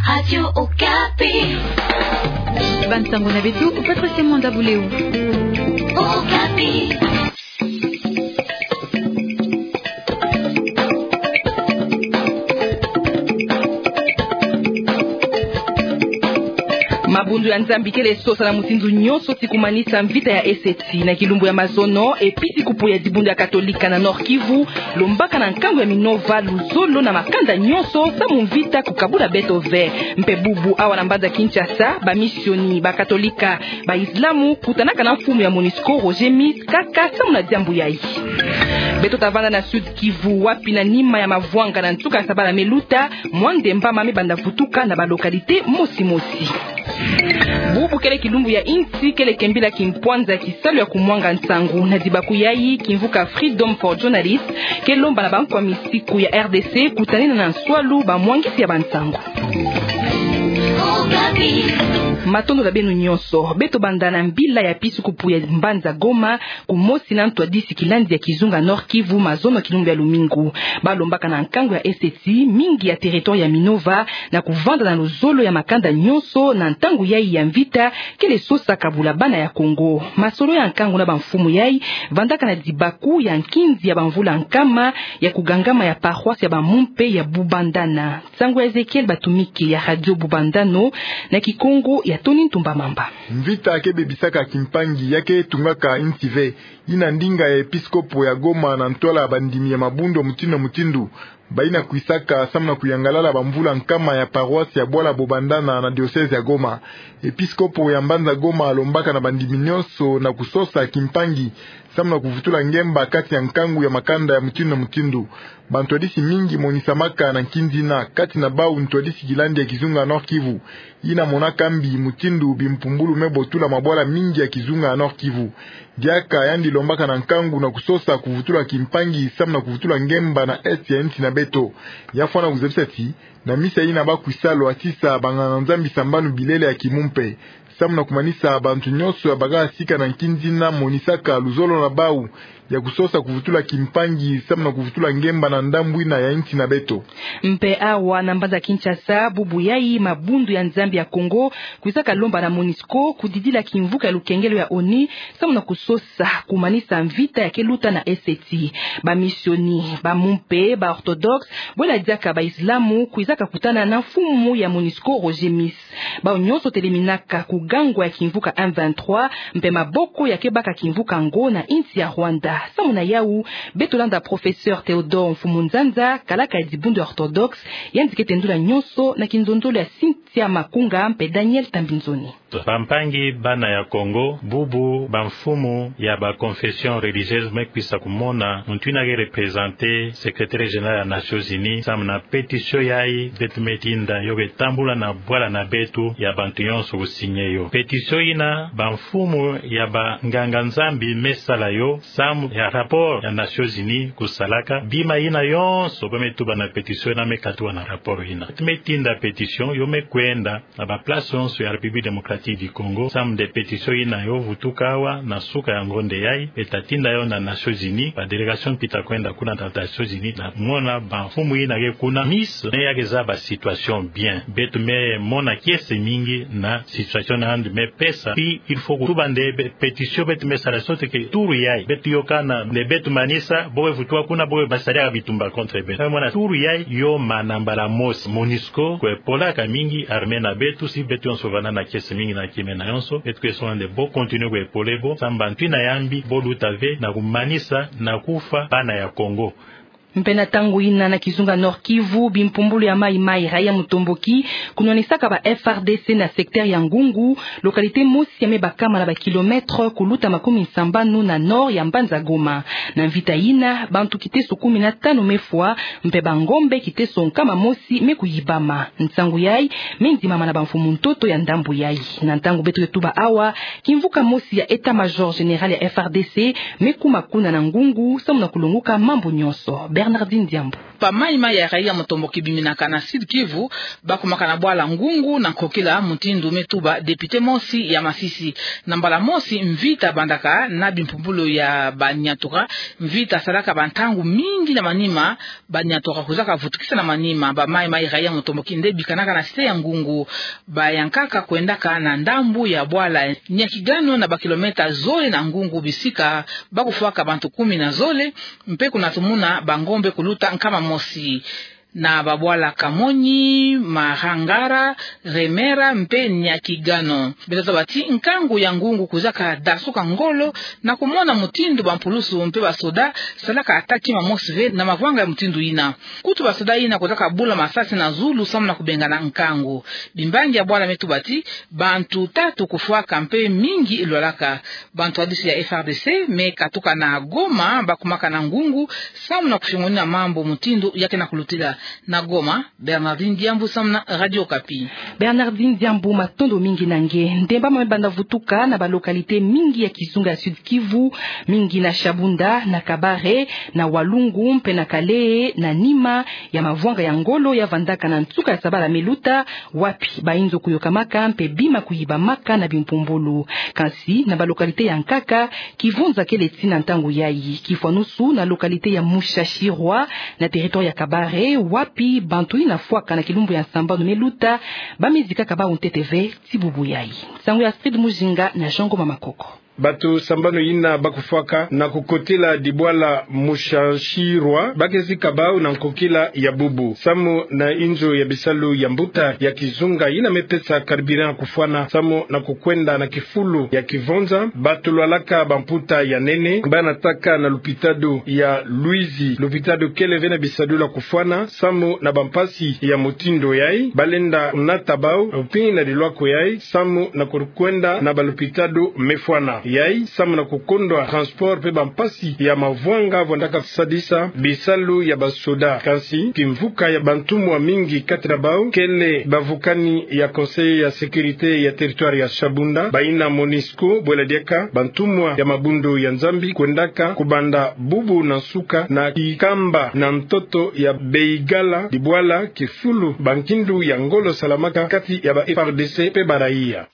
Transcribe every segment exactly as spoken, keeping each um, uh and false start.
Radio Okapi. Bansango na beto, Patricia Mwanda Buleu. Okapi. Mabundu ya Nzambi kele sosa na mutindu nyonso ti kumanisa mvita ya eseti. Na kilumbu ya mazono, episikopo ya dibundu ya Katolika na Nord-Kivu lombaka na nkangu ya Minova luzolo na makanda nyonso samu mvita kukabula beto ve. Mpe bubu awa na mbanza Kinshasa, bamisioni, bakatolika, baislamu kutanaka na mfumu ya MONUSCO, Roger Miss, kaka samu na diambu yayi. Beto ta vanda na Sud-Kivu, wapi na nima ya mavwanga na nsuka ya sabala me luta, mwa ndemba mame banda vutuka na balocalité mosi mosi. Bubu kele kilumbu ya insi kele kembila kimpwanza ya kisalu ya kumwanga nsangu. Na dibaku yayi, kimvuka Freedom for Journalists ke lomba na bankwa misiku ya R D C kutanina na nswalu bamwangisi ya bansangu. Matondo na beno nyonso. Beto banda na mbila ya episikopo ya mbanza Goma, kumosi na ntwadisi kilandi ya kizunga Nord-Kivu mazono kilumbu ya lumingu. Balombaka na nkangu ya eseti mingi ya territoire ya Minova na kuvanda na luzolo ya makanda nyonso na ntangu yayi ya mvita kele sosa kabula bana ya Kongo. Masolo ya nkangu na bamfumu yayi vandaka na dibaku ya nkinzi ya bamvula nkama ya kugangama ya paroisse ya bamumpe ya Bubandana. Nsangu ya Ezekiel Batumike ya Radio Bubandano, na Kikongo ya Tony Ntumba Mamba. Mvita ke bebisaka kimpangi, ya ke tungaka insi ve. Yina ndinga ya episikopo ya Goma na ntwala ya bandimi ya mabundu ya mutindu na mutindu bayina kwisaka samu na kuyangalala bamvula nkama ya paroisse ya bwala Bubandana na diocèse ya Goma. Episikopo ya mbanza Goma alombaka na bandimi nyonso na kusosa kimpangi samu na kuvutula ngemba kati ya nkangu ya makanda ya mutindu na mutindu. Bantwadisi mingi monisamaka na nkinzi yina, kati na bau ntwadisi kilandi ya kizunga Nord-Kivu, yina monaka mbi mutindu bimpumbulu me botula mabwala mingi ya kizunga Nord-Kivu. Diaka yandi lombaka na nkangu na kusosa kuvutula kimpangi samu na kuvutula ngemba na est ya insi na beto. Ya fwana kuzabisa ti, na misa yina bakwisalu, atisa banganga-Nzambi sambanu bilele ya kimumpe samu na kumanisa bantu nyonso ya baka sika na nkinzi yina monisaka luzolo na bau ya kusosa kuvutula kimpangi samu na kuvutula ngemba na ndambu yina ya insi na beto. Mpe awa na mbanza Kinshasa, bubu yayi mabundu ya Nzambi ya Kongo kwizaka lomba na MONUSCO kudidila kimvuka ya lukengelo ya ONU samu na kusosa kumanisa mvita ya ke luta na eseti. Bamisioni, bamumpe, ba orthodoxe, bwela diaka baislamu kwizaka kutana na mfumu ya MONUSCO, Roger Miss. Bau nyonso teleminaka ku gangwa ya kimvuka M vingt-trois, mpe maboko ya ke baka kimvuka yango na insi ya Rwanda. Samu na yau, beto landa professeur Théodore Mfumu Nzanza, kalaka ya dibundu ya orthodoxe, yandi ke tendula nyonso na kinzonzolo ya Cynthia Makunga mpe Daniel Tambinzoni. Bampangi bana ya Kongo, bubu bamfumu ya ba confession religieuse me kwisa kumona muntu yina ke représenter secrétaire général ya Nations Unies, samu na pétition yayi beto me tinda, yo ke tambula na bwala na beto ya bantu nyonso kusigner yo. Pétition yina bamfumu ya banganga-Nzambi me sala yo samu ya rapport ya Nations Unies kusalaka. Bima yina yonso ba me tuba na pétition yina me katuka na rapport yina. Beto me tinda pétition, yo me kwenda na ba place yonso ya République Démocratique du Congo, samu nde pétition yina yo vutuka awa na suka ya ngonde yayi, beto ta tinda yo na Nations Unies, ba délégation pita kwenda kuna na Nations Unies, na mona bamfumu yina ke kuna, Miss me ya ke zaba situation bien. Beto me mona kiese mingi na situation yandi me pesa, puis il faut kutuba nde be-, pétition beto me sala, sote ke tour yayi beto yokana nde beto manisa, bo ke vutuka kuna, bo ke basala bitumba contre beto. Mona tour yayi yo mana mbala mosi. MONUSCO kwe polaka mingi armée na beto, si beto yonso vanda na kiese mingi na kimena yonso, beto kwe songa nde bo continuer kwe pole bo, samu bantu yina ya mbi bo luta ve na kumanisa na kufa bana ya Kongo. Mpe na ntangu yina na kizunga Nord-Kivu, bimpumbulu ya Maï Maï, raïa mutomboki, kunwanisaka ba F A R D C na secteur ya Ngungu, localité mosi ya me bakama na ba kilomètre kuluta makumi sambanu na nord ya mbanza Goma. Na mvita yina, bantu kiteso kumi na tanu me fwa, mpe bangombe kiteso nkama mosi me kuyibama. Nsangu yayi me ndimama na bamfumu ntoto ya ndambu yayi. Na ntangu beto ke tuba awa, kimvuka mosi ya état-major général ya F A R D C me kuma kuna na Ngungu, samu na kulonguka mambu nyonso. Bernardine Diambu. Bamayi-mayi ya raia motomboki biminaka na Sud-Kivu bakumaka na bwala Ngungu na nkokila mutindu me tuba député mosi ya Masisi. Na mbala mosi mvita bandaka na bimpumbulu ya Baniatura, mvita salaka bantangu mingi na manima, Baniatura kwizaka vutukisa na manima bamayi-mayi raia motomboki nde bikanaka na cité ya Ngungu. Bayankaka kwendaka na ndambu ya bwala Nyakigano, na bakilomètre zole na Ngungu, bisika bakufwaka bantu kumi na zole, mpe kuna tumona bangombe kuluta nkama mosi. Na babwala Kamonyi, Marangara, Remera mpe Nyakigano, beto taba ti nkangu ya Ngungu kwizaka dasuka ngolo na kumona mutindu bampulusu mpe basoda salaka attaque kima mosi ve na mavwanga ya mutindu yina. Kutu basoda yina kwizaka bula masasi na zulu samu na kubengana nkangu. Bimbangi ya bwala me tuba ti bantu tatu kufwaka mpe mingi lwalaka. Bantwadisi ya F R D C me katuka na Goma, bakumaka na Ngungu samu na kufiongonina mambu mutindu ya ke na kulutila. Na Goma, Bernardine Diambu samu na Radio Okapi. Bernardine Diambu, matondo mingi na nge. Ndemba mama me banda vutuka na balocalité mingi ya kizunga ya Sud-Kivu, mingi na Shabunda, na Kabare, na Walungu mpe na Kalehe, na nima ya mavwanga ya ngolo ya vandaka na nsuka ya sabala me luta, wapi bayinzo kuyokamaka mpe bima kuyibamaka na bimpumbulu. Kansi na balocalité ya nkaka, kivunza kele ti na ntangu yayi. Kifwanusu na localité ya Mushashirwa, na territoire ya Kabare, wapi bantu yina fwaka na kilumbu ya sambanu me luta bamizikaka bawu ntete ve ti bubu yayi. Nsangu ya Astrid Mujinga na Jean Ngoma Makoko. Bato sambanu yina bakufwaka na kukotila dibwala Mushashirwa bakizika bawu na nkokila ya bubu. Samu na inzo ya bisalu ya mbuta ya kizunga yina me pesa carburant kufwana samu na kukwenda na kifulu ya kivunza, bato lwalaka bamputa ya nene banataka na lupitalo ya Luizi. Lupitalo kele ve na bisalu ya kufwana samu na bampasi ya mutindu yayi. Balenda nata bawu mpini na dilwako yayi samu na kukwenda na balupitalo me fwana yayi, samu na kukondwa transport mpe bampasi ya mavwanga vandaka sadisa bisalu ya basoda. Kansi kimvuka ya bantumwa mingi kati na bawu kele bavukani ya Conseil ya sécurité ya territoire ya Shabunda, bayina MONUSCO, bwela diaka bantumwa ya mabundu ya Nzambi kwendaka kubanda bubu na nsuka na kikamba na ntoto ya Beigala, dibwala kifulu bankindu ya ngolo salamaka kati ya ba F R D C mpe baraya.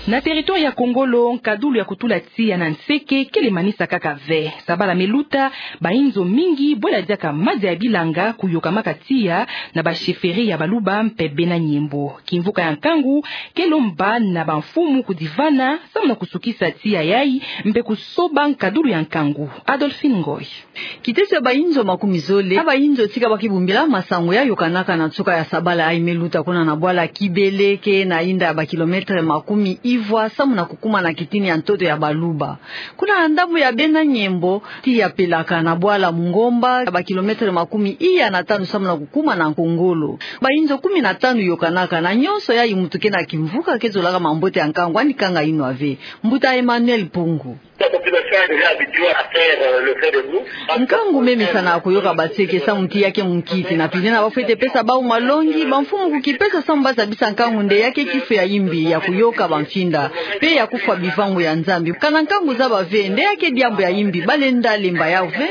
Na territoire ya Kongolo, nkadulu ya kutula tiya na nseke kele manisa kaka ve. Sabala me luta, bayinzo mingi, bwela diaka madia ya bilanga, kuyokamaka tiya na ba chefferie ya Baluba mpe Bena Nyembo. Kimvuka ya nkangu kele mba na bamfumu kudivana samu na kusukisa tiya yayi mpe kusoba nkadulu ya nkangu. Adolphine Ngoy. Kiteso ya bayinzo makumi zole ya bayinzo tika bakibumbila masangu ya yokanaka na nsuka ya sabala yayi me luta kuna na bwala Kibele, ke na inda ya bakilometre makumi ivwa samu na kukuma na kitini ya ntoto ya Baluba. Kuna na ndambu ya Bena Nyembo, tiya pelaka na bwala Mungomba, ya bakilometre makumi iya na tanu samu na kukuma na Kongolo. Bayinzo kumi na tanu yokanaka, na nyonso yayi muntu ke na kimvuka ke zolaka mambote ya nkangu, ani kanga inwa ve. Mbuta Emmanuel Mpungu. Nkangu me mesana kuyoka banseke samu ti ya ke munkiti. Na pili na bafwete pesa bawu malongi, bamfumu kukipesa samu bazabisa nkangu nde ya ke kifu ya yimbi ya kuyoka bamfinda mpe ya kufwa bivangu ya Nzambi. Kana nkangu zaba ve nde ya ke diambu ya yimbi, balenda lemba yawu ve.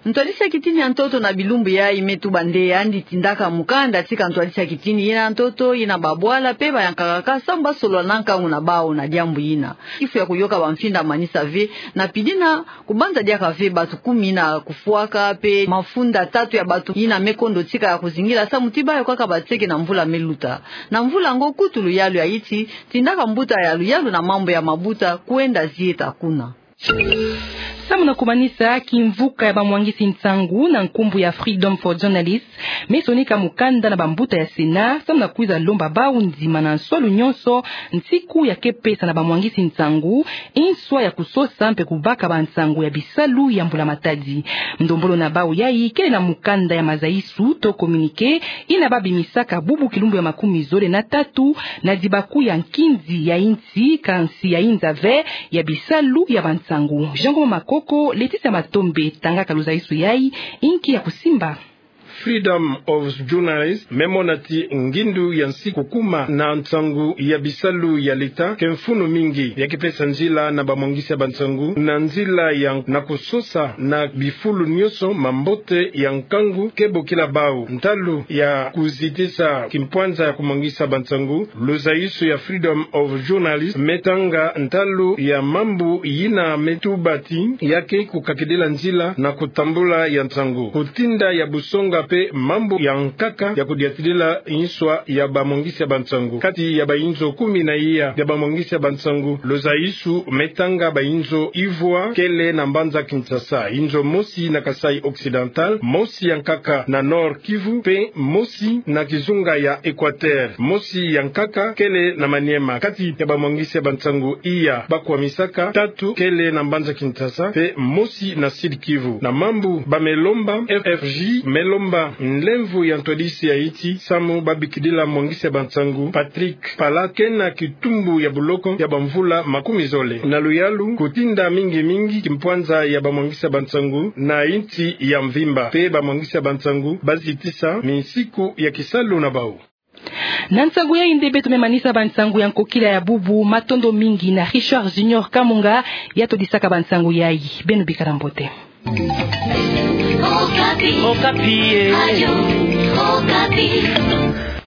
Ntwadisi ya kitini ya ntoto na bilumbu yayi me tuba nde yandi tindaka mukanda tika ntwadisi ya kitini yina ya ntoto, yina babwala mpe bayankaka kaka samu basolola na nkangu na bawu na diambu yina. Kifu ya kuyoka bamfinda manisa ve, na pili na kubanza diaka ve bato kumi na kufwaka mpe mafunda tatu ya bato yina me kondo tika ya kuzingila samu ti bayokaka banseke na mvula me luta. Na mvula yango kutu luyalu ya yinti tindaka mbuta ya luyalu na mambu ya mabuta kwenda zieta kuna. Samu na kumanisa, kimvuka ya bamwangisi nsangu na nkumbu ya Freedom for Journalists me sonika mukanda na bambuta ya Sénat samu na kwiza lomba bawu ndima na nswalu nyonso nsiku ya ke pesa na bamwangisi nsangu nswa ya kusosa mpe kubaka bansangu ya bisalu ya Mbula Matadi. Ndombolo na bawu yayi kele na mukanda ya mazayisu to communiqué yina babimisaka bubu kilumbu ya makumi zole na tatu na dibaku ya nkinzi ya yinti, kansi ya yinza ve ya bisalu ya bansangu. Jean Ngoma Makoko, Laetitia Matombe tangaka luzayisu yayi, inki ya kusimba. Freedom of Journalist me mona ti ngindu ya nsi kukuma na nsangu ya bisalu ya leta ke mfunu mingi ya kipesa nzila na bamwangisi ya bansangu na nzila ya na kusosa na bifulu nionso mambote ya nkangu ke bokila bau. Ntalu ya kuzitisa kimpwanza ya kumwangisa bansangu, luzaisu ya Freedom of Journalist me tanga ntalu ya mambu yina me tuba ti ya ke kukakidila nzila na kutambula ya nsangu, kutinda ya busonga pe mambu ya nkaka ya kudiatidila inswa ya bamwangisi ya bansangu. Kati ya bainzo kumi na iya ya bamwangisi ya bansangu, luzaisu me tanga bainzo ivwa kele na mbanza Kinshasa, inzo mosi na Kasaï Occidental, mosi ya nkaka na Nord-Kivu, pe mosi na kizunga ya Équateur, mosi ya nkaka kele na Maniema. Kati ya bamwangisi ya bansangu iya bakwamisaka, tatu kele na mbanza Kinshasa, pe mosi na Sud-Kivu. Na mambu ba me lomba, F F J me lomba nlemvo ya ntwadisi ya insi samu babikidila mwangisi ya bansangu Patrick Pala ke na kitumbu ya boloko ya bamvula makumi zole na luyalu, kutinda mingi mingi kimpwanza ya bamwangisi ya bansangu na insi ya mvimba, pe bamwangisi ya bansangu bazitisa minsiku ya kisalu na bau. Na nsangu yayi nde beto me manisa bansangu ya nkokila ya bubu. Matondo mingi na Richard Junior Kamunga ya todisaka bansangu yayi. Beno bikala mbote. Okapi. Okapi, eh. Radio Okapi.